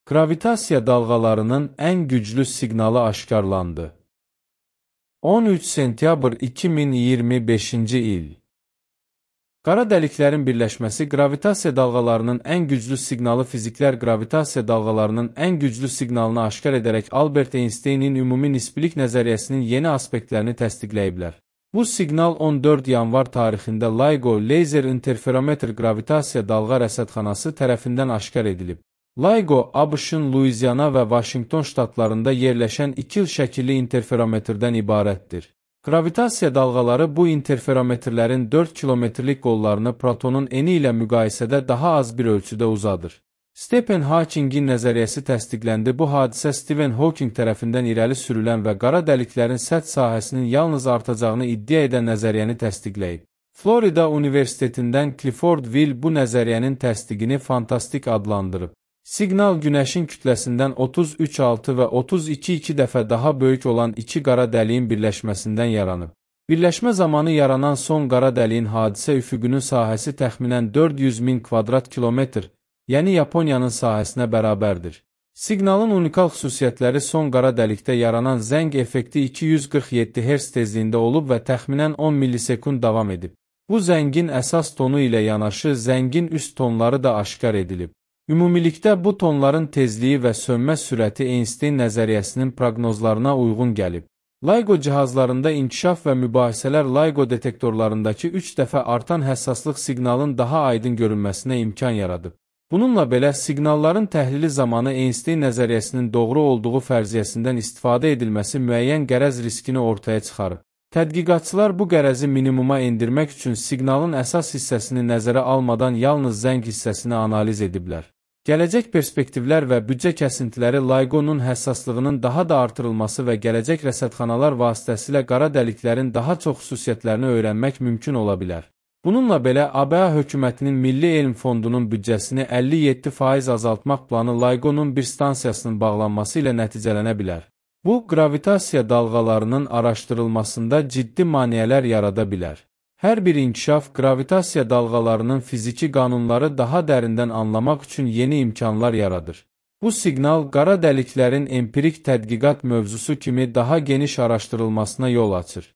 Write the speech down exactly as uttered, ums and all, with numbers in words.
Qravitasiya dalğalarının ən güclü siqnalı aşkarlandı. on üç sentyabr iki min iyirmi beşinci il. Qara dəliklərin birləşməsi qravitasiya dalğalarının ən güclü siqnalı. Fiziklər qravitasiya dalğalarının ən güclü siqnalını aşkar edərək Albert Einsteynin ümumi nisbilik nəzəriyyəsinin yeni aspektlərini təsdiqləyiblər. Bu siqnal on dörd yanvar tarixində LIGO Laser Interferometer Qravitasiya Dalğa Rəsədxanası tərəfindən aşkar edilib. LIGO, ABŞ-ın Luiziana və Vaşinqton ştatlarında yerləşən iki il şəkilli interferometrdən ibarətdir. Qravitasiya dalğaları bu interferometrlərin dörd kilometrlik qollarını protonun eni ilə müqayisədə daha az bir ölçüdə uzadır. Stephen Hawkingin nəzəriyyəsi təsdiqləndi. Bu hadisə Stephen Hawking tərəfindən irəli sürülən və qara dəliklərin səth sahəsinin yalnız artacağını iddia edən nəzəriyyəni təsdiqləyib. Florida Universitetindən Clifford Will bu nəzəriyyənin təsdiqini fantastik adlandırıb. Siqnal Günəşin kütləsindən otuz üç altı və otuz iki iki dəfə daha böyük olan iki qara dəliyin birləşməsindən yaranıb. Birləşmə zamanı yaranan son qara dəliyin hadisə üfüqünün sahəsi təxminən dörd yüz min kvadrat kilometr, yəni Yaponiyanın sahəsinə bərabərdir. Siqnalın unikal xüsusiyyətləri son qara dəlikdə yaranan zəng effekti iki yüz qırx yeddi hertz tezliyində olub və təxminən on millisekund davam edib. Bu zəngin əsas tonu ilə yanaşı zəngin üst tonları da aşkar edilib. Ümumilikdə bu tonların tezliyi və sönmə sürəti Einstein nəzəriyyəsinin proqnozlarına uyğun gəlib. LIGO cihazlarında inkişaf və mübahisələr LIGO detektorlarındakı üç dəfə artan həssaslıq siqnalın daha aydın görünməsinə imkan yaradıb. Bununla belə, siqnalların təhlili zamanı Einstein nəzəriyyəsinin doğru olduğu fərziyyəsindən istifadə edilməsi müəyyən qərəz riskini ortaya çıxarıb. Tədqiqatçılar bu qərəzi minimuma endirmək üçün siqnalın əsas hissəsini nəzərə almadan yalnız zəng hissəsini analiz ediblər. Gələcək perspektivlər və büdcə kəsintiləri LIGO-nun həssaslığının daha da artırılması və gələcək rəsədxanalar vasitəsilə qara dəliklərin daha çox xüsusiyyətlərini öyrənmək mümkün ola bilər. Bununla belə, A B A hökumətinin Milli Elm Fondunun büdcəsini əlli yeddi faiz azaltmaq planı LIGO-nun bir stansiyasının bağlanması ilə nəticələnə bilər. Bu, qravitasiya dalğalarının araşdırılmasında ciddi maneələr yarada bilər. Hər bir inkişaf qravitasiya dalğalarının fiziki qanunları daha dərindən anlamaq üçün yeni imkanlar yaradır. Bu siqnal qara dəliklərin empirik tədqiqat mövzusu kimi daha geniş araşdırılmasına yol açır.